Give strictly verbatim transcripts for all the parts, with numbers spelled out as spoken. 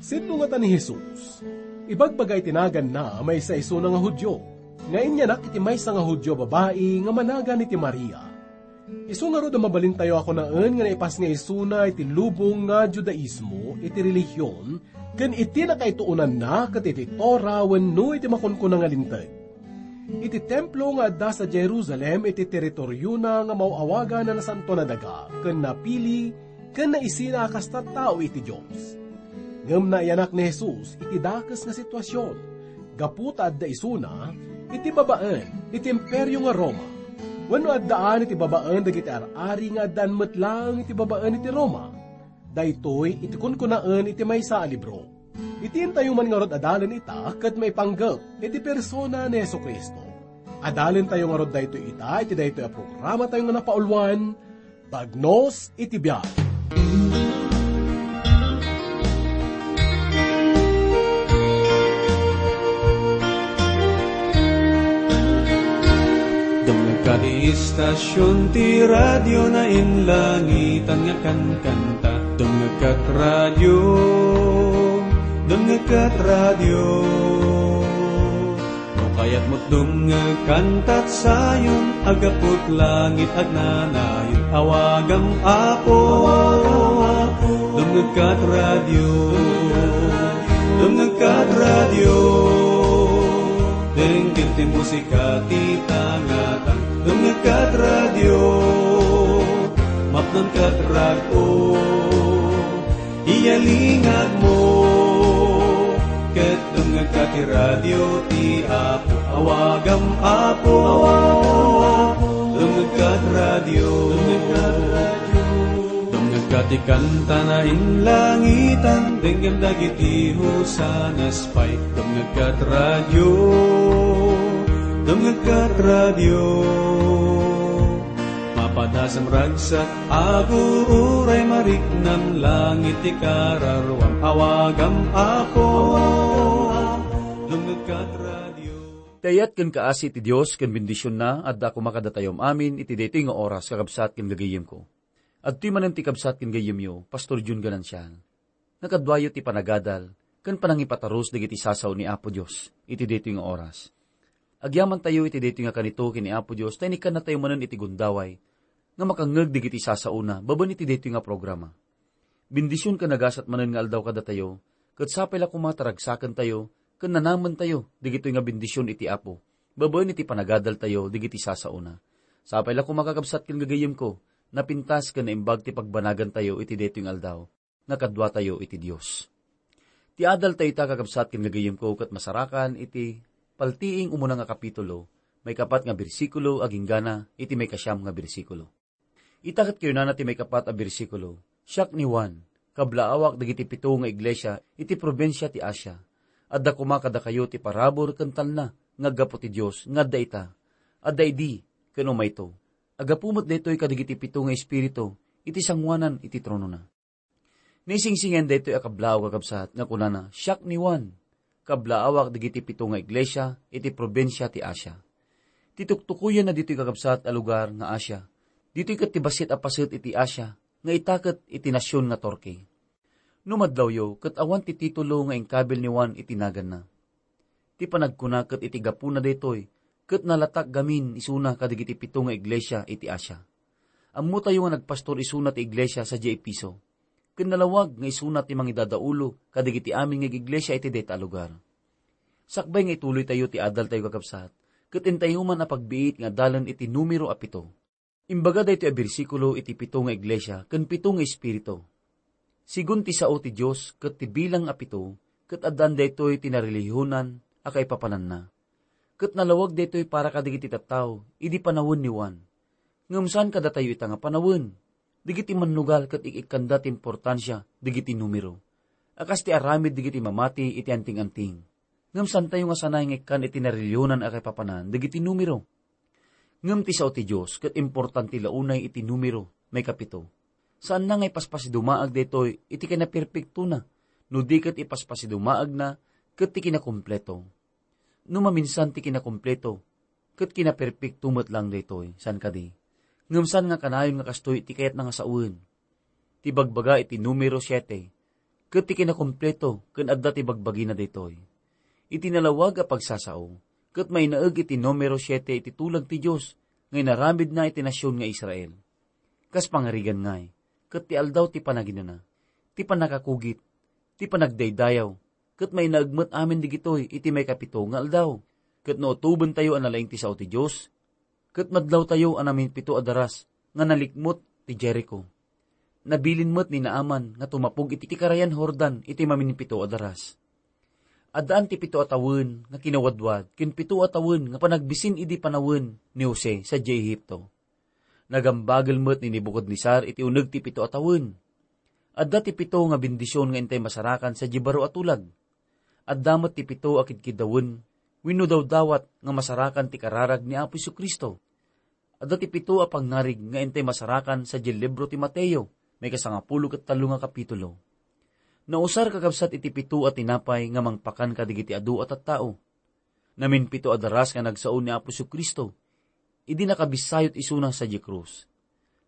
Sino ngata ni Jesus? Ibagbaga iti naganna, maysa isuna nga Judio, nga inyanak iti maysa nga Judio a babai nga managan iti Maria. Isu ngarud a mabalintayo a kunaen nga naipas nga isuna iti lubong nga Judaismo iti relihion ken iti nakaituonanna ket iti Torah wenno iti makunkuna nga Linteg. Iti templo nga adda sadiay Jerusalem iti teritoriona nga maaw-awagan a Nasantoan a Daga ken napili ken naisina a kas tattao iti Dios. Ngem naiyanak ni Jesus iti dakes nga situasion, gapu ta adda isuna iti babaen iti Imperio nga Roma, wenno addaan iti babaen dagiti ar-ari nga addaan met laeng iti babaen iti Roma. Daytoy iti kunkunaen iti maysa a libro. Iti intayo man ngarud adalen ita ket maipanggep iti persona ni Jesu-Cristo. Adalentayo ngarud daytoy ita iti daytoy a programatayo nga napauluan, Bagnos iti Biag. Dumngegka ti istasion ti radio, nainlangitan nga kankanta. Dumngegka ti radio, dumngegka ti radio. No kayatmo dumngeg kantat Zion, aggapu ti langit agnanayon. Awagam, Apo, dumngegka ti radio, dumngegka ti radio. Denggem ti musika ti tangatang. Dumngegka ti radio, mapnanka ti rag-o. Iyalingagmo, ket dumngegka ti radio ti Apo. Awagam, Apo, dumngegka ti radio. Dumngegka ti kanta, nainlangitan, denggem dagiti hosanas pay. Dumngegka ti radio, dumngegka ti radio. Mapadasam ragsak, aguray mariknam, langit ti kararuam. Awagam, Apo, dumngegka ti radio. Ti ayat ken kaasi ti Dios ken bendisionna adda koma kadatayo amin iti daytoy nga oras, kakabsat ken gagayyemko. Adtoy manen ti kabsat ken gayyemyo, Pastor Jun Ganancial. Nakaduayo ti panagadal ken panangipatarus dagiti sao ni Apo Dios iti daytoy nga oras. Agyamantayo iti daytoy nga kanito ken ni Apo Dios, ta inikkannatayo manen iti gundaway nga makangngeg dagiti sasaona babaen iti daytoy nga programa. Bendision ken nagasat manen nga aldaw kadatayo, ket sapay la koma ta ragsakentayo ken nanamentayo dagitoy nga bendision iti Apo babaen iti panagadaltayo dagiti sasaona. Sapay la koma, kakabsat ken gagayyemko, napintas ken naimbag ti pagbanagantayo iti daytoy nga aldaw nga kaduatayo iti Dios. Ti adaltayo ita, kakabsat ken gagayyemko, ket masarakan iti Paltiing, umuna nga kapitulo, maikapat nga bersikulo agingga iti maikasiam nga bersikulo. Ita ket kinunana ti maikapat a bersikulo, "Siak ni Juan, kablaawak dagiti pito nga iglesia iti probinsia ti Asia. Adda koma kadakayo ti parabur ken talna nga aggapu ti Dios nga adda ita, adda idi, ken umayto. Aggapu met daytoy kadagiti pito nga espiritu iti sangoanan iti tronona." Naisingsingen daytoy a kablaaw, kakabsat, nga kunana, "Siak ni Juan, kablaawak dagiti pito nga iglesia iti probinsia ti Asia." Ti tuktukoyenna ditoy, kakabsat, a lugar nga Asia, ditoy ket ti bassit a paset iti Asia, nga ita ket iti nasion nga Turkey. No madlawyo, ket awan ti titulo nga inkabil ni Juan iti naganna. Ti panagkuna ket iti gapuna daytoy, ket nalatak gamin isuna kadagiti pito nga iglesia iti Asia. Ammotayo nga nagpastor isuna ti iglesia sadiay Efeso, ken nalawag nga isuna ti mangidadaulo kadagiti amin nga iglesia iti dayta a lugar. Sakbay nga ituloytayo ti adaltayo, kakabsat, ket intayo man a pagbiit nga adalen iti numero a pito. Imbaga daytoy a bersikulo iti pito nga iglesia ken pito nga espiritu. Sigun ti sao ti Dios ket ti bilang a pito, ket addaan daytoy ti narelihiyonan a kaipapananna. Ket nalawag daytoy para kadagiti tattao idi panawen ni Juan. Ngem saan kadatayo ita nga panawen. Dagiti mannugal ket ik-ikkanda ti importansia dagiti numero, a kas ti aramid dagiti mamati iti anting-anting. Ngem saantayo nga sanay nga ikkan iti narelihiyonan a kaipapanan dagiti numero. Ngem ti sao ti Dios ket importante la unay iti numero, maikapito. Saanna nga ipaspasidumaag daytoy iti kinaperpektona, no di ket ipaspasidumaagna ket ti kinakumpleto. No maminsan ti kinakumpleto, Ket kinaperpekto met laeng daytoy, saan kadi? Ngem saan nga kanayon nga kastoy ti kayatna nga sawen? Ti bagbaga iti numero siete, ket ti kinakompleto ken adda ti bagbagina daytoy. Iti nalawag a pagsasao, ket mainaeg iti numero siete iti tulag ti Dios nga inaramidna iti nasion nga Israel. Kas pangarigan ngay, ket ti aldaw ti panaginana, ti pannakakugit, ti panagdaydayaw, ket mainaeg met amin digitoy iti maikapito nga aldaw. Ket no utobentayo a nalaing ti sao ti Dios, ket madlawtayo a namimpito a daras nga nalikmot ti Jericho. Nabilin met ni Naaman nga tumapog iti karayan Jordan iti maminpito a daras. Addaan ti pito a tawen nga kinawadwad ken pito a tawen nga panagbisin idi panawen ni Jose sadiay Egipto. Nagambagel met ni Nebucadnezzar iti uneg ti pito a tawen. Adda ti pito nga bendision nga intay masarakan sadiay baro a tulag. Adda met ti pito a kidkidawen wenno dawdawat nga masarakan ti kararag ni Apo Jesu-Cristo. Adda ti pito a pangngarig nga intay masarakan sadiay libro ti Mateo, maikasangapulo ket tallo nga kapitulo. Nausar kakabsat iti pito a tinapay nga mangpakan kadagiti adu a tattao. Naminpito a daras nga nagsao ni Apo Jesu-Cristo idi nakabisayo isuna sadiay krus.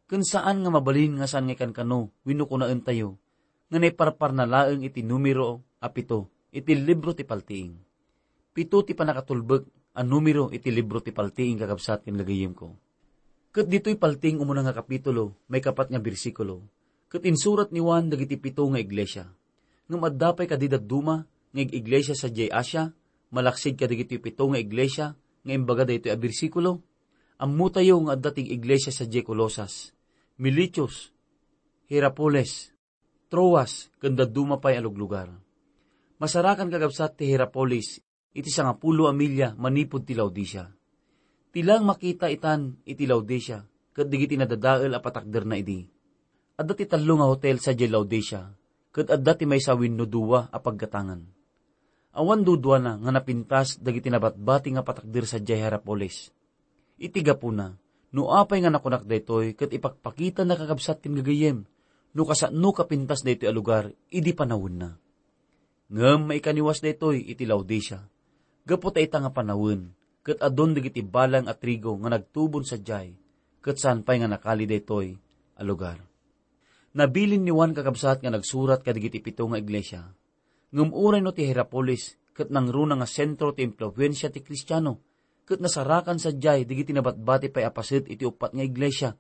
Ken saan nga mabalin nga saan nga ikankano wenno kunaentayo nga naiparparna laeng iti numero a pito iti libro ti paltiing. Pito ti pannakatulbek a numero iti libro ti paltiing, kakabsat ken gagayyemko. Ket ditoy paltiing umuna nga kapitulo, maikapat nga bersikulo, ket insurat ni Juan dagiti pito nga iglesia. Ngem adda pay kadi dadduma nga ig-iglesia sadiay Asia, malaksid kadagiti pito nga iglesia nga imbaga daytoy a bersikulo? Ammotayo nga adda ti ig-iglesia sadiay Colosas, Miletus, Hierapolis, Troas, ken dadduma pay a luglugar. Masarakan kakabsat ti Hierapolis iti sangapulo a milya manipud ti Laodicea. Ti laeng makita itan iti Laodicea ket dagiti nadadael a patakderna idi. Adda ti tallo nga hotel sadiay Laodicea, ket adda ti maysa wenno dua a paggatangan. Awan duduana nga napintas dagiti nabatbati nga patakder sadiay Hierapolis. Iti gapuna, no apay nga nakunak daytoy ket ipakpakitana, kakabsat ken gagayyem, no kasano kapintas daytoy a lugar idi panawenna. Ngem maikaniwas daytoy iti Laodicea, gapu ta ita nga panawen, ket adun dagiti balang a trigo nga nagtubon sadiay, ket saan pay nga nakali daytoy a lugar. Nabilin ni Juan, kakabsat, nga nagsurat kadagiti pito nga iglesia. Ngem uray no ti Hierapolis ket nangruna nga sentro ti impluensia ti Kristiano, ket nasarakan sadiay dagiti nabatbati pay a paset iti uppat nga iglesia,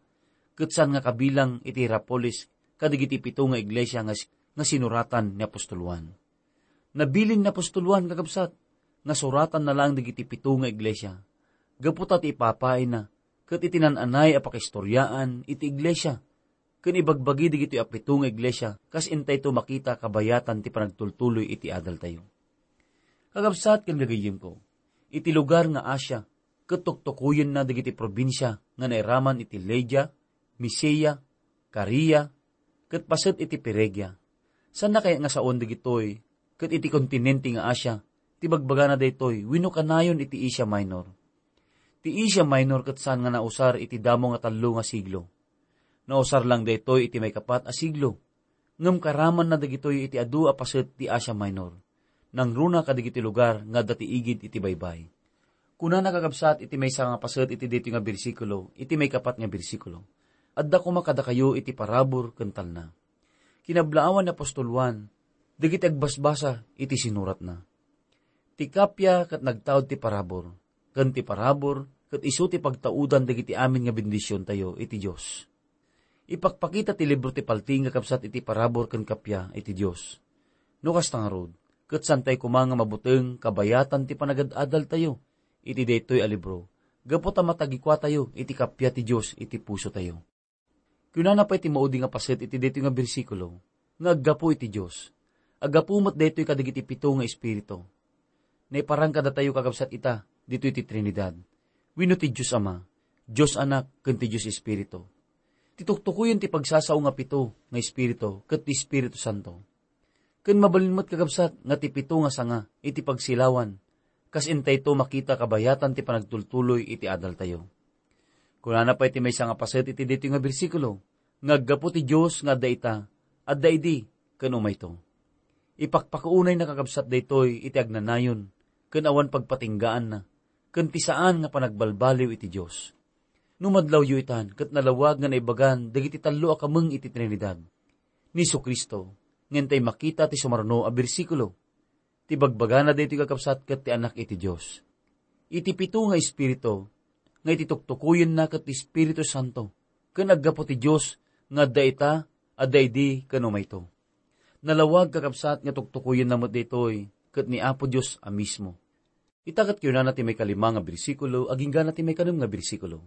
ket saan nga kabilang iti Hierapolis kadagiti pito nga iglesia nga, nga sinuratan ni apostol Juan. Nabilin ni apostol Juan, kakabsat, nga suratanna laeng dagiti pito nga iglesia, gapu ta ti ipapaayna ket iti naan-anay a pakaistoriaan iti iglesia, ken ibagbagi dagitoy a pito nga iglesia kas intayto makita kabayatan ti panagtultuloy iti adaltayo. Kakabsat ken gagayyemko, iti lugar nga Asia, ket tuktukoyenna dagiti probinsia nga nairaman iti Lydia, Misia, Caria, ket paset iti Phrygia. Saanna kayat nga saon dagitoy ket iti kontinente nga Asia ti bagbagana daytoy wenno kanayon iti Asia Minor? Ti Asia Minor ket saan nga nausar iti damo nga tallo nga siglo. Nausar lang daytoy iti maikapat a siglo. Ngem karamanna dagitoy iti adu a paset ti Asia Minor. Nangruna kadagiti lugar nga adda ti igid iti baybay. Kunana, kakabsat, iti maysa nga paset iti daytoy nga bersikulo, iti maikapat nga bersikulo, "Adda koma kadakayo iti parabur ken talna." Kinablaawan ni apostol Juan dagiti agbasbasa iti sinuratna. Ti kappia ket nagtaud ti parabur, ken ti parabur ket isu ti pagtaudan dagiti amin nga bendisiontayo iti Dios. Ipakpakita ti libro ti paltiing nga kabsat iti parabur ken kappia iti Dios. No kasta ngarud, ket saantay koma nga mabuteng kabayatan ti panagad-adaltayo iti daytoy a libro, gapu ta matagikuatayo iti kappia ti Dios iti pusotayo. Kunana pay ti maudi nga paset iti daytoy nga bersikulo, nga aggapu iti Dios. Aggapu met daytoy kadagiti pito nga espiritu. Naiparang kadatayo, kakabsat, ita ditoy ti Trinidad, wenno ti Dios Ama, Dios Anak, ken ti Dios Espiritu. Ti tuktukoyen ti pagsasao nga pito nga espiritu ket ti Espiritu Santo. Ken mabalin met, kakabsat, nga ti pito nga sanga iti pagsilawan, kas intayto makita kabayatan ti panagtultuloy iti adaltayo. Kunana pay ti maysa nga paset iti daytoy nga bersikulo, nga aggapu ti Dios nga adda ita, adda idi, ken umayto. Ipakpakuunayna, kakabsat, daytoy iti agnanayon ken awan pagpatinggaanna, ken ti saan nga panagbalbaliw iti Dios. No madlawyo itan, ket nalawag nga naibagan dagiti tallo a kameng iti Trinidad, ni Jesu-Cristo, nga intay makita ti sumarno a bersikulo. Ti bagbagana daytoy, kakabsat, ket ti Anak iti Dios. Iti pito nga Espiritu, nga iti tuktukoyenna ket ti Espiritu Santo, ken aggapu ti Dios nga adda ita, adda idi, ken umayto. Nalawag, kakabsat, nga tuktukoyenna met daytoy ket ni Apo Dios a mismo. Ita ket kunana ti maikalima nga bersikulo, agingga ti maikanem nga bersikulo.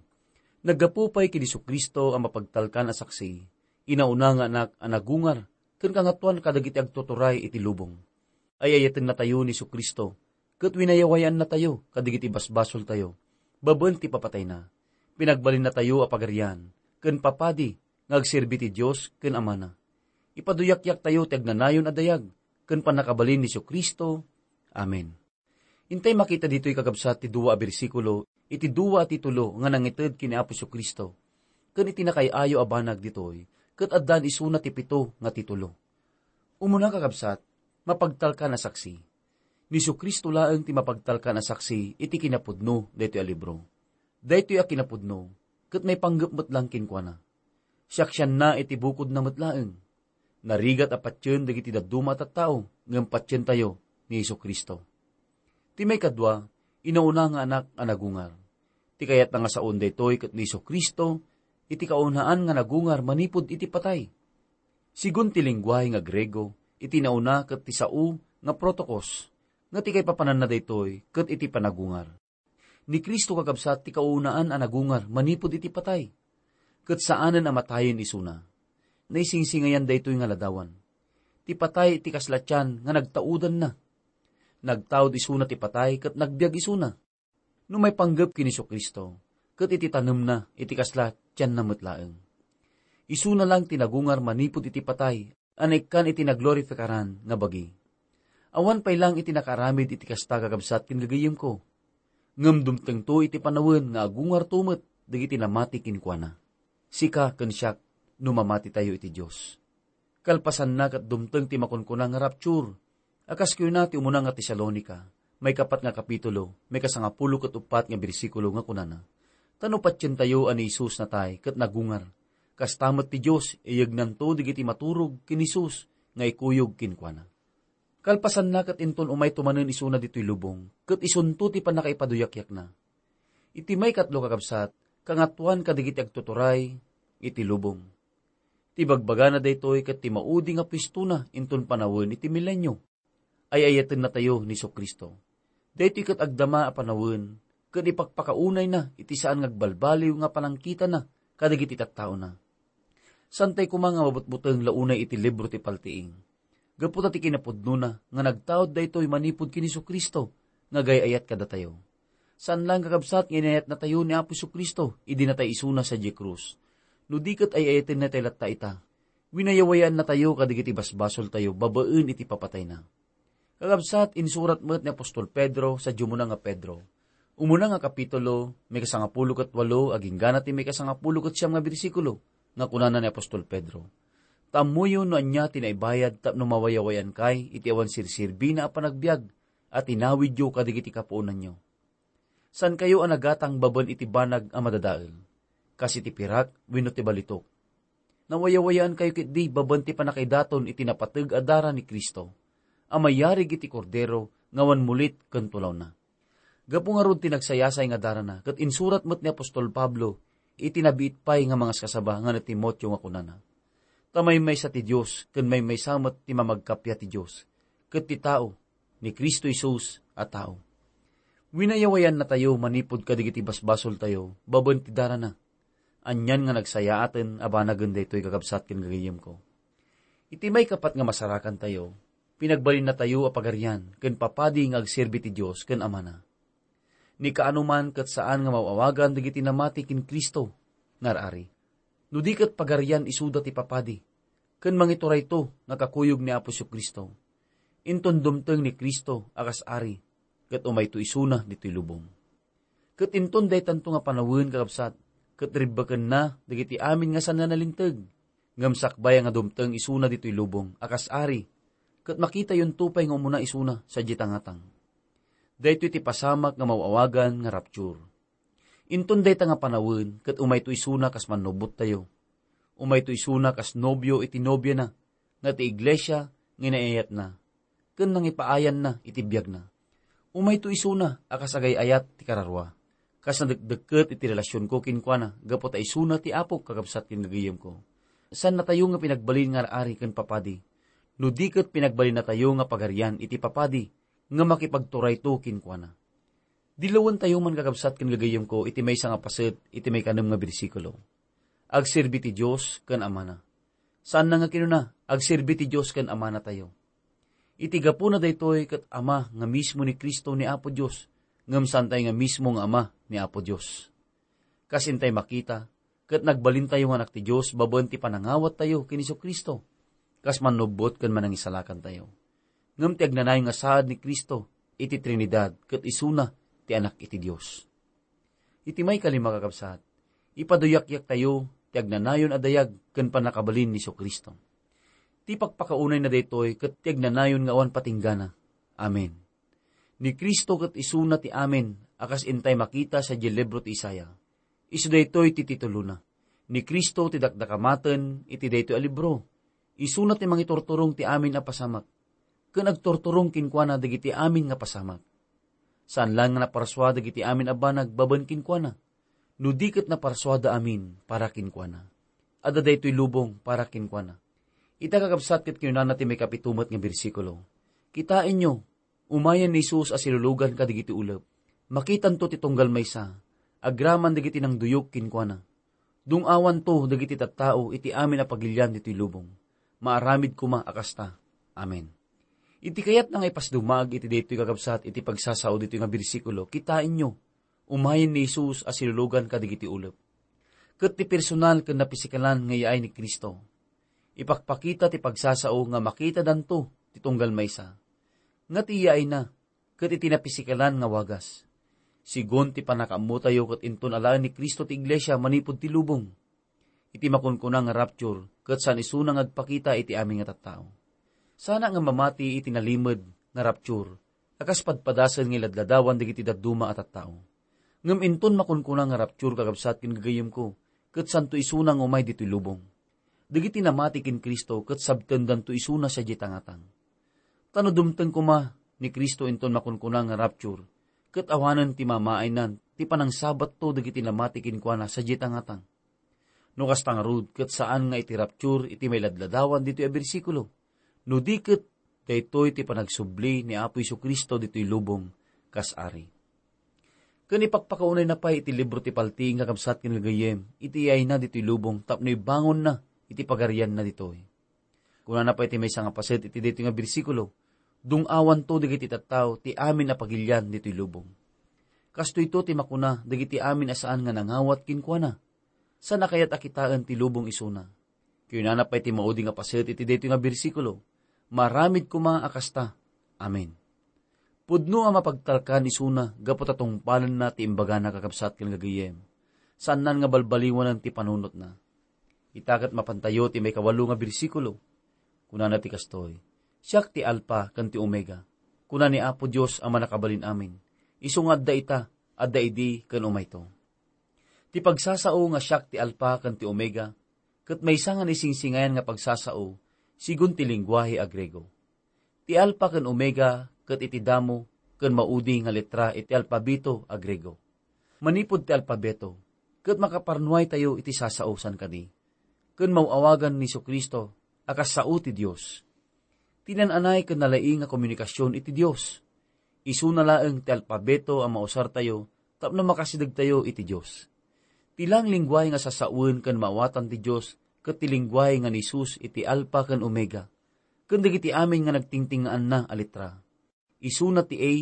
Naggapu pay ken Jesu-Cristo a mapagtalkan a saksi, inauna nga anak a nagungar, ken kangatoan kadagiti agtuturay iti lubong. Ay-ayatennatayo ni Jesu-Cristo, ket winayawayaannatayo kadagiti basbasoltayo, babaen ti papatayna. Pinagbalinnatayo a pagarian, ken papadi nga agserbi ti Dios ken Amana. Ipaduyakyaktayo ti agnanayon a dayag, ken pannakabalin ni Jesu-Cristo. Amen. Intay makita ditoy, kakabsat, ti dua a bersikulo iti dua a titulo nga nangited ken ni Apo Jesu-Cristo, ken iti nakaay-ayo a banag ditoy, ket addan isuna ti pito nga titulo. Umuna, kakabsat, mapagtalkan a saksi. Ni Jesu-Cristo laeng ti mapagtalkan a saksi iti kinapudno daytoy a libro. Daytoy a kinapudno, ket maipanggep met lang kenkuana. Siaksianna iti bukodna met laeng. Narigat a patien dagiti dadduma a tattao, ngem patientayo ni Jesu-Cristo. Ti maikadua, inauna nga anak a nagungar. Ti kayatna nga saon daytoy ket ni Jesu-Cristo, iti kaunaan nga nagungar manipud iti patay. Sigun ti lengguahe nga Griego, iti nauna ket ti sao nga protokos, nga ti kaipapananna daytoy ket iti panagungar. Ni Cristo, kakabsat, ti kaunaan a nagungar manipud iti patay, ket saanen a matayen isuna. Naisingsingayan daytoy nga ladawan. Ti patay iti kasla tian nga nagtaudanna. Nagtaud isuna ti patay ket nagbiag isuna. No maipanggep ken Jesu-Cristo, ket iti tanemna iti kasla tianna met laeng. Isuna lang ti nagungar manipud iti patay a naikkan iti naglorifikaran nga bagi. Awan pay lang iti nakaaramid iti kasta, kakabsat ken gagayyemko. Ngem dumtengto iti panawen nga agungarto met dagiti namati kenkuana. Sika ken siak, no mamatitayo iti Dios. Kalpasanna ket dumteng ti makunkuna nga rapture, a kas kuna ti umuna nga Tesalonica, maikapat nga kapitulo, maikasangapulo ket uppat nga bersikulo nga kunana, "Ta no patientayo a ni Jesus natay ket nagungar, kasta met ti Dios, iyegnanto dagiti maturog ken Jesus nga ikuyog kenkuana." Kalpasanna ket inton umayto manen isuna ditoy lubong, ket isunto ti pannakaipaduyakyakna. Iti maikatlo, kakabsat, kangatoan kadagiti agtuturay iti lubong. Ti bagbagana daytoy ket ti maudi nga puestona inton panawen iti milenio. Ay-ayatennatayo ni Jesu-Cristo. Daytoy ket agdama a panawen ken ipakpakaunayna iti saan nga agbalbaliw nga panangkitana kadagiti tattaona. Saantay koma nga mabutbuteng la unay iti libro ti paltiing. Gapu ta ti kinapudnona nga nagtaud daytoy manipud ken Jesu-Cristo nga agay-ayat kadatayo. Saan laeng, kakabsat, nga inayatnatayo ni Apo Jesu-Cristo idi natay isuna sadiay krus. No di ket ay-ayatennatayo latta ita, winayawayaannatayo kadagiti basbasoltayo babaen iti papatayna. Kakabsat, insurat met ni apostol Pedro sadiay umuna nga Pedro. Umuna nga kapitulo, maikasangapulo ket walo, agingga ti maikasangapulo ket siam nga bersikulo, nga kunana ni apostol Pedro, "Ta ammoyo no ania ti naibayad tapno mawayawayankay iti awan serserbina a panagbiag a tinawidyo kadagiti kapuonanyo. Saankayo a nagatang babaen iti banag a madadael, kas iti pirak wenno ti balitok. Nawayawayaankayo ketdi babaen ti pannakaidaton iti napateg a dara ni Cristo, a mayarig iti Kordero nga awan mulit ken tulawna." Gapu ngarud ti nagsayasay nga darana, ket insurat met ni apostol Pablo iti nabiit pay nga mangaskasaba nga ni Timoteo nga kunana, "Ta maymaysa ti Dios, ken maymaysa met ti mamagkappia ti Dios, ket ti tao, ni Cristo Jesus a tao." Winayawayannatayo manipud kadagiti basbasoltayo babaen ti darana. Anian nga nagsayaaten a banagen daytoy, kakabsat ken gagayyemko. Iti maikapat nga masarakantayo, pinagbalinnatayo a pagarian ken papadi nga agserbi ti Dios ken Amana. Ni kaano man ket saan nga maaw-awagan dagiti namati ken Cristo nga ar-ari. No di ket pagarian isuda ti papadi, ken mangiturayto nga kakuyog ni Apo Jesu-Cristo. Inton dumteng ni Cristo a kas ari, ket umayto isuna ditoy lubong. Ket inton daytanto nga panawen, kakabsat, ket ribbekenna dagiti amin nga saan a nalinteg, ngem sakbay nga dumteng isuna ditoy lubong a kas ari, ket makitayonto pay nga umuna isuna sadiay tangatang. Daytoy ti pasamak nga maw-awagan nga rapture. Inton dayta nga panawen, ket umayto isuna kas mannubottayo. Umayto isuna kas nobio iti nobiana, nga ti iglesia nga inayayatna, ken nangipaayanna iti biagna. Umayto isuna a kas agay-ayat ti kararua, kas nadekdekket iti relasionko kenkuana, gapu ta isuna ti Apo, kakabsat ken gagayyemko. Saannatayo nga pinagbalin nga ar-ari ken papadi, no di ket pinagbalinnatayo nga pagarian iti papadi nga makipagturayto kenkuana. Dilawentayo man, kakabsat ken gagayyemko, iti maysa nga paset iti maikanem nga bersikulo. Agserbi ti Dios ken Amana. Saanna nga kinuna, agserbi ti Dios ken Amanatayo. Iti gapuna daytoy ket ama nga mismo ni Cristo ni Apo Dios, ngem saantay nga mismo nga ama ni Apo Dios. Kas intay makita, ket nagbalintayo nga anak ti Dios babaen ti panangawattayo ken Jesu-Cristo, kas mannubbot ken manangisalakantayo. Ngem ti agnanayon nga saad ni Cristo iti Trinidad ket isuna ti Anak iti Dios. Iti maikalima, kakabsat, ipaduyakyaktayo ti agnanayon a dayag ken pannakabalin ni Jesu-Cristo. Ti pakpakaunayna daytoy ket ti agnanayon nga awan patinggana. Amen. Ni Cristo ket isuna ti amin a kas intay makita sadiay libro ti Isaiah. Isu daytoy ti titulona, Ni Cristo ti dakdakamaten iti daytoy a libro. Isuna ti mangiturturong ti amin a pasamak, ken agturturong kenkuana dagiti amin nga pasamak. Saan laeng nga naparsua dagiti amin a banag babaen kenkuana, no di ket naparsuada amin para kenkuana. Adda daytoy lubong para kenkuana. Ita, kakabsat, ket kinunana ti maikapito met nga bersikulo, Kitaenyo, umayen ni Jesus a silulugan kadagiti ulep. Makitanto ti tunggal maysa, agraman dagiti nangduyok kenkuana. Dung-awanto dagiti tattao iti amin a pagilian ditoy lubong. Maaramid koma a kasta. Amen. Iti kayatna nga ipasdumag iti daytoy, kakabsat, iti pagsasao ditoy nga bersikulo, kitaenyo, umayen ni Jesus a silulugan kadagiti ulep. Ket ti personal ken napisikalan nga yaay ni Cristo. Ipakpakita ti pagsasao nga makitadanto ti tunggal maysa, nga ti yaayna ket iti napisikalan nga wagas. Sigun ti pannakaammotayo ket inton alaen ni Cristo ti iglesia manipud ti lubong. Iti makunkuna nga rapture, ket saan isuna nga agpakita iti amin nga tattao. Sana nga mamati iti nalimed nga rapture a kas padpadasen nga iladladawan dagiti dadduma a tattao. Ngem inton makunkuna nga rapture, kakabsat ken gagayyemko, ket santo isuna nga umay ditoy lubong. Dagiti namati ken Cristo ket sabtendanto isuna sadiay tangatang. Ta no dumteng koma ni Cristo inton makunkuna nga rapture, ket awanen ti mamaaynan ti panangsabatto dagiti namati kenkuana sadiay tangatang. No kasta ngarud, ket saan nga iti rapture iti mailadladawan ditoy a bersikulo. No di ket, daytoy ti panagsubli ni Apo Jesu-Cristo ditoy lubong kas Ari. Ken ipakpakaunayna pay iti libro ti paltiing, kakabsat ken gagayyem, iti iyayna ditoy lubong tapno ibangonna iti pagarianna ditoy. Kunana pay ti maysa nga paset iti daytoy nga bersikulo, "Dung-awanto dagiti tattao ti amin a pagilian ditoy lubong." Kastoyto ti makuna dagiti amin a saan nga nangawat kenkuana. Saan a kayat a kitaen ti lubong isuna. Kunana pay ti maudi nga paset iti daytoy nga bersikulo, "Maaramid koma a kasta. Amen." Pudno a mapagtalkan isuna gapu ta tungpalenna ti imbagana, kakabsat ken gagayyem. Saannan nga balbaliwanen ti panunotna. Ita ket mapantayo ti maikawalo nga bersikulo. Kunana ti kastoy, "Siak ti Alpa ken ti Omega," kuna ni Apo Dios a Mannakabalin-amin. Isu nga adda ita, adda idi, ken umayto. Ti pagsasao nga siak ti Alpa ken ti Omega, ket maysa nga naisingsingayan nga pagsasao, sigun ti lengguahe a Griego. Ti Alpa ken Omega ket iti damo ken maudi nga letra iti alpabeto a Griego. Manipud ti alpabeto, ket makaparnuaytayo iti sasao san kadi, ken maw-awagan ni Jesu-Cristo a kas sao ti Dios. Ti naan-anay ken nalaing a komunikasion iti Dios. Isuna laeng ti alpabeto a mausartayo tapno makasidegtayo iti Dios. Ti laeng lengguahe nga sasawen ken maawatan ti Dios ket ti lengguahe nga ni Jesus iti Alpa ken Omega, ken dagiti amin nga nagtingtingaanna a letra. Isuna ti A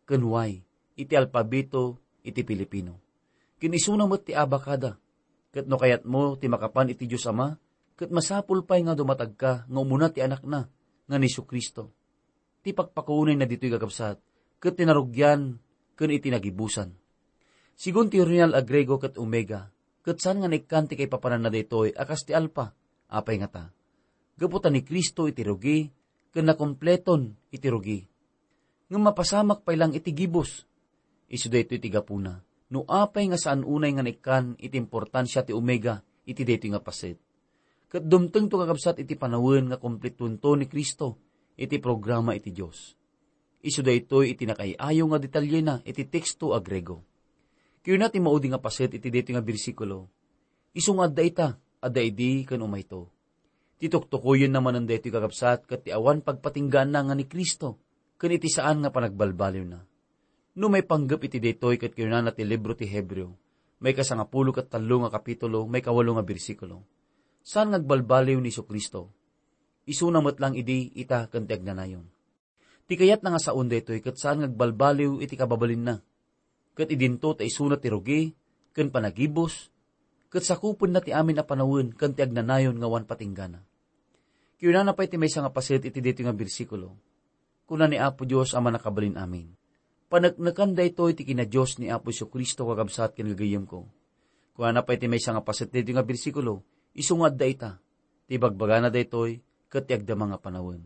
ken Y iti alpabeto iti Filipino. Ken isuna met ti abakada. Ket no kayatmo ti makapan iti Dios Ama, ket masapul pay nga dumatagka nga umuna ti Anakna nga ni Jesu-Cristo. Ti pakpakaunayna ditoy, kakabsat, ket ti narugian ken iti nagibusan. Sigun ti orihinal a Griego ket Omega, ket saan nga naikkan ti kaipapananna daytoy a kas ti Alpa. Apay ngata? Gapu ta ni Cristo iti rugi, ken nakumpleton iti rugi. ngem mapasamak pay lang iti gibus. Isu daytoy ti gapuna no apay nga saan unay nga naikkan iti importansia ti Omega iti daytoy nga paset. Ket dumtengto, kakabsat, iti panawen nga kumpletoento ni Cristo iti programa iti Dios. Isu daytoy iti nakaay-ayo nga detalyena iti teksto a Griego. Kuna ti maudi nga paset iti daytoy nga bersikulo, "Isu nga adda ita, adda idi ken umayto." Ti tuktukoyenna manen daytoy, kakabsat, ket ti awan pagpatinggaanna nga ni Cristo ken iti saan nga panagbalbaliwna. No maipanggep iti daytoy, ket kinunana ti libro ti Hebreo, maikasangapulo ket tallo nga kapitulo, maikawalo nga bersikulo, "Saan nga agbalbaliw ni Jesu-Cristo. Isuna met lang idi, ita ken ti agnanayon." Ti kayatna nga saon daytoy ket saan nga agbalbaliw iti kababalinna. Ket idinto ta isuna ti rugi ken panagibus, ket sakupenna ti amin a panawen ken ti agnanayon nga awan patinggana. Kinunana pay ti maysa nga paset iti daytoy nga bersikulo, kuna ni Apo Dios a Mannakabalin-amin, "Paneknekan daytoy ti kinadios ni Apo Jesu-Cristo, kakabsat ken gagayyemko." Kunana pay ti maysa nga paset daytoy nga bersikulo, "Isu nga adda ita, ti bagbagana daytoy ket ti agdama nga panawen."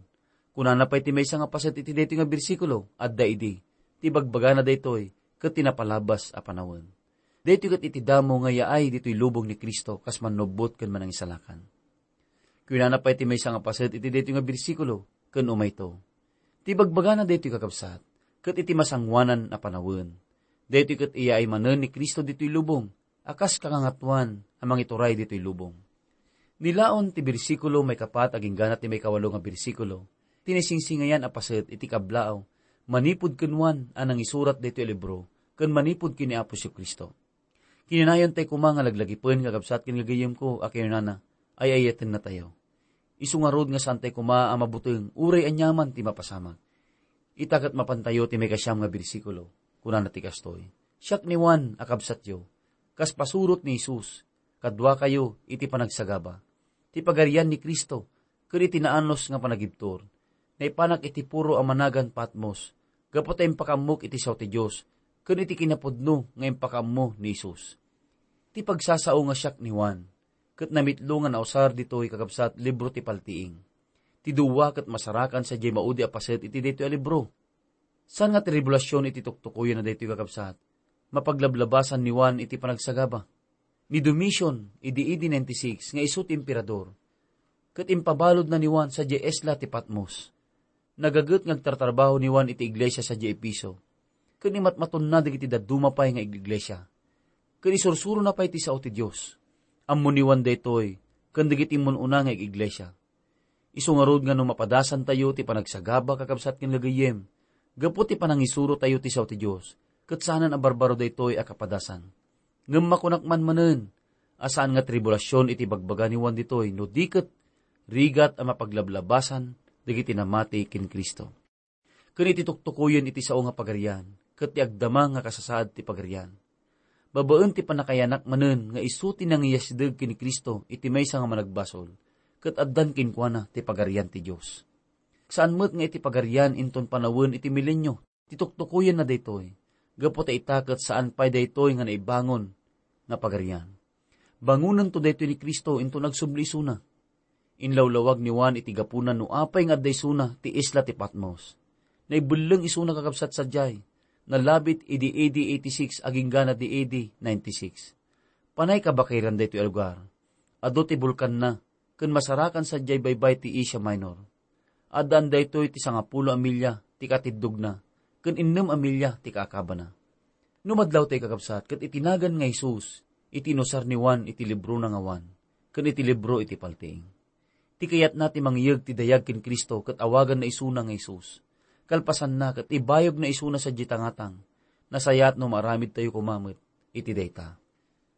Kunana pay ti maysa nga paset iti daytoy nga bersikulo, "Adda idi, ti bagbagana daytoy ket ti napalabas a panawen." Daytoy ket iti damo nga yaay ditoy lubong ni Cristo kas mannubbot ken manangisalakan. Kunana pay ti maysa nga paset iti daytoy nga bersikulo, ken umayto, "Ti bagbagana daytoy, kakabsat, ket iti masangoanan a panawen. Daytoy ket iyaay manen ni Cristo ditoy lubong a kas kangangatuan a mangituray ditoy lubong." Ni Laon ti bersikulo maikapat agingga ti maikawalo nga bersikulo, ti naisingsingayan a paset iti kablaaw manipud ken Juan a nangisurat daytoy a libro ken manipud ken ni Apo Jesu-Cristo. Kinanayon tay koma nga laglagipen, kakabsat ken gagayyemko, a kinunana, ay-ayatennatayo. Isu ngarud nga saan tay koma a mabuteng uray aniaman ti mapasamak. Ita ket mapantayo ti maikasiam nga bersikulo. Kunana ti kastoy, "Siak ni Juan a kabsatyo, kas pasurot ni Jesus, kaduakayo iti panagsagaba. Ti pagarian ni Cristo ken iti naanus nga panagibtur, naipanak iti puro a managan Patmos, gapu ta impakaammok iti sao ti Dios ken iti kinapudno nga impakaammo ni Jesus." Ti pagsasao nga siak ni Juan, ket namitlo nga nausar ditoy, kakabsat, libro ti paltiing. Ti dua ket masarakan sadiay maudi a paset iti daytoy a libro. Saan nga tribulasion iti tuktukoyen a daytoy, kakabsat? Mapaglablabasan ni Juan iti panagsagaba. Ni Domitian, idi A D ninety-six, nga isu ti emperador, ket impabaludna ni Juan sadiay isla ti Patmos. Nagaget nga agtartarbaho ni Juan iti iglesia sadiay Efeso, ken imatmatonna dagiti dadduma pay nga iglesia, ken isursurona pay ti sao ti Dios. Ammo ni Juan daytoy ken dagiti immun-una nga iglesia. Isu ngarud nga no mapadasantayo ti panagsagaba, kakabsat ken gagayyem, gapu ti panangisurotayo ti sao ti Dios, ket saanen a barbaro daytoy a kapadasan. Ngem makunak man manen a saan nga tribulasion iti bagbaga ni Juan ditoy, no di ket rigat a mapaglablabasan dagiti namati ken Cristo. Ken iti tuktukoyen iti sao nga pagarian, ket ti agdama nga kasasaad ti pagarian. Babaen ti pannakaiyanak manen nga isu ti nangiyasideg ken ni Cristo iti maysa nga managbasol, ket addan kenkuana ti Pagarian ti Dios. Saan met nga iti pagarian inton panawen iti milenio ti tuktukoyenna daytoy, gapu ta ita ket saan pay daytoy nga naibangon nga pagarian. Bangonento daytoy ni Cristo inton agsubli isuna. Inlawlawag ni Juan iti gapuna no apay nga adda isuna ti isla ti Patmos. Naibelleng isuna, kakabsat, sadiay. Nalabit idi A D eighty-six agingga ti A D ninety-six. Panay kabakiran daytoy a lugar. Adu ti bulkanna, ken masarakan sadiay baybay ti Asia Minor. Addaan daytoy ti sangapulo a milya ti katiddogna, ken innem a milya ti kaakabana. No madlawtayo, kakabsat, ket iti nagan nga Jesus, iti inusar ni Juan iti librona nga Juan, ken iti libro iti paltiing. Ti kayatna ti mangiyeg ti dayag ken Cristo ket awaganna isuna nga Jesus. Kalpasanna, ket ibayogna isuna sadiay tangatang. Nasayaat no maaramidtayo koma met iti dayta.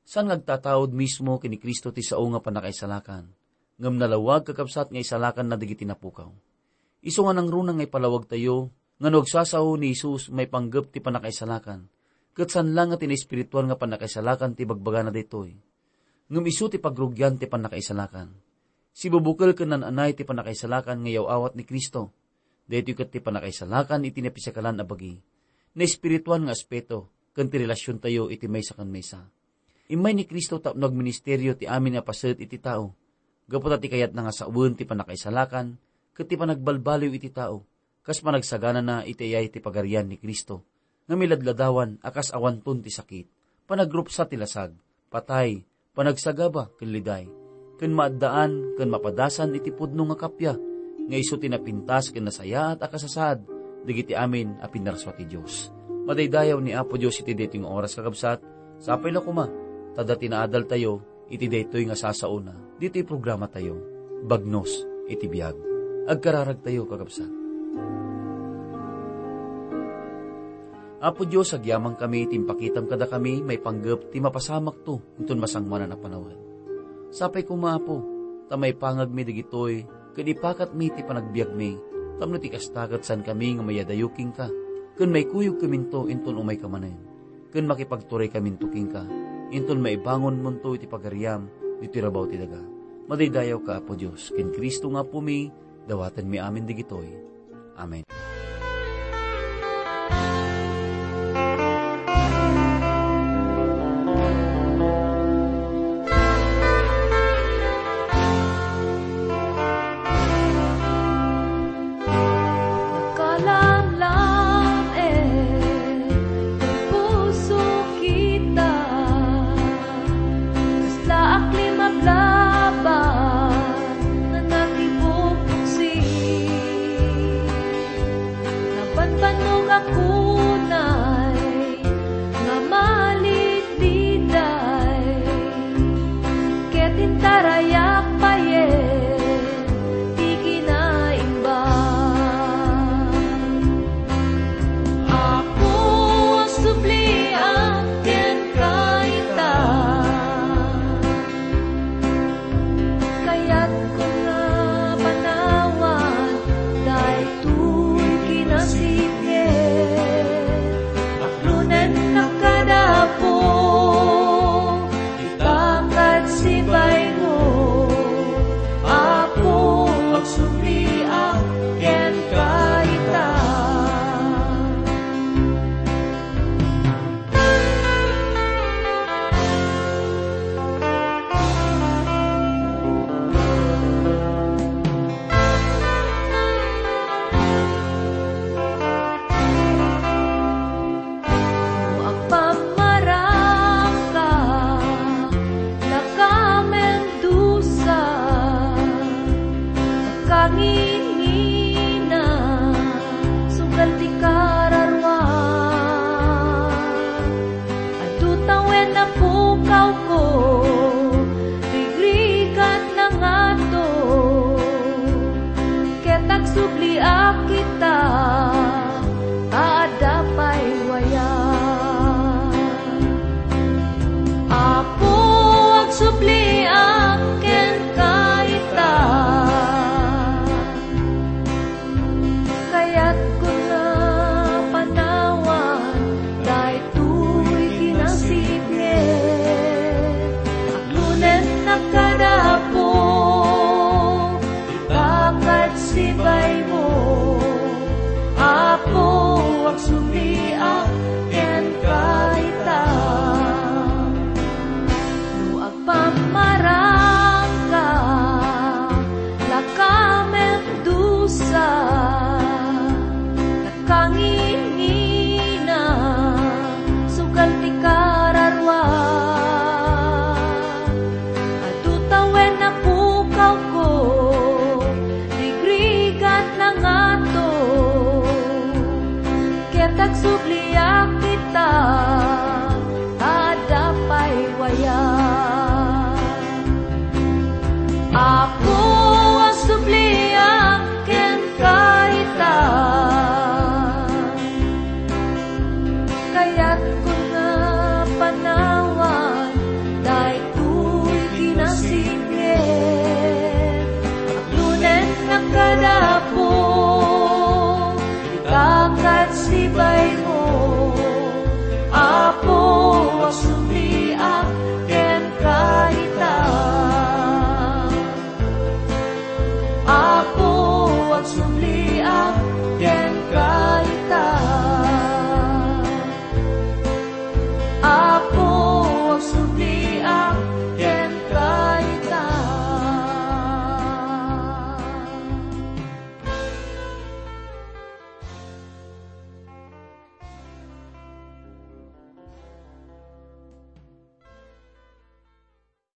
Saan nga agtataud mismo ken ni Cristo ti sao nga pannakaisalakan, ngem nalawag, kakabsat, nga isalakanna dagiti napukaw. Isu nga nangruna nga ipalawagtayo nga no agsasao ni Jesus maipanggep ti pannakaisalakan, ket saan la nga ti naespirituan nga pannakaisalakan ti bagbagana daytoy, ngem isu ti pagrugian ti pannakaisalakan. Sibubukel ken naan-anay ti pannakaisalakan nga iyaw-awat ni Cristo. Daytoy ket ti pannakaisalakan iti napisakalan a bagi, naespirituan nga aspeto, ken ti relasiontayo iti maysa ken maysa. Immay ni Cristo tapno agministerio ti amin a paset iti tao, gapu ta ti kayatna nga sawen ti pannakaisalakan ket ti panagbalbaliw iti tao, kas panagsaganana iti ayay ti Pagarian ni Cristo, nga miladladawan a kas awanton ti sakit, panagrupsa ti lasag, patay, panagsagaba ken liday, ken maaddaan ken mapadasan iti pudno nga kappia, nga isu ti napintas ken nasayaat a kasasaad dagiti amin a pinnarsua ti Dios. Madaydayaw ni Apo Dios iti daytoy nga oras, kakabsat. Sapay la koma ta adda ti naadaltayo iti daytoy nga sasaona ditoy programatayo, Bagnos iti Biag. Agkararagtayo, kakabsat. Apo Dios, agyamankami iti impakitam kadakami maipanggep ti mapasamakto inton masangmanan a panawen. Sapay koma, Apo, ta maipangagmi dagitoy ken ipakatmi ti panagbiagmi, tapno ti kasta ket saankami nga mayadayo kenka, ken maikuyogkaminto inton umayka manen, ken makipagturaykaminto kenka, inton maibangonmonto iti pagariam ditoy rabaw ti daga. Madaydayawka, Apo Dios, ken Cristo nga Apomi, dawatenmi amin dagitoy. Amen. Nakalamlam, eh, ti puso kita. Kasla aklim a blaba nga nakibuksi. Nabanbannog ako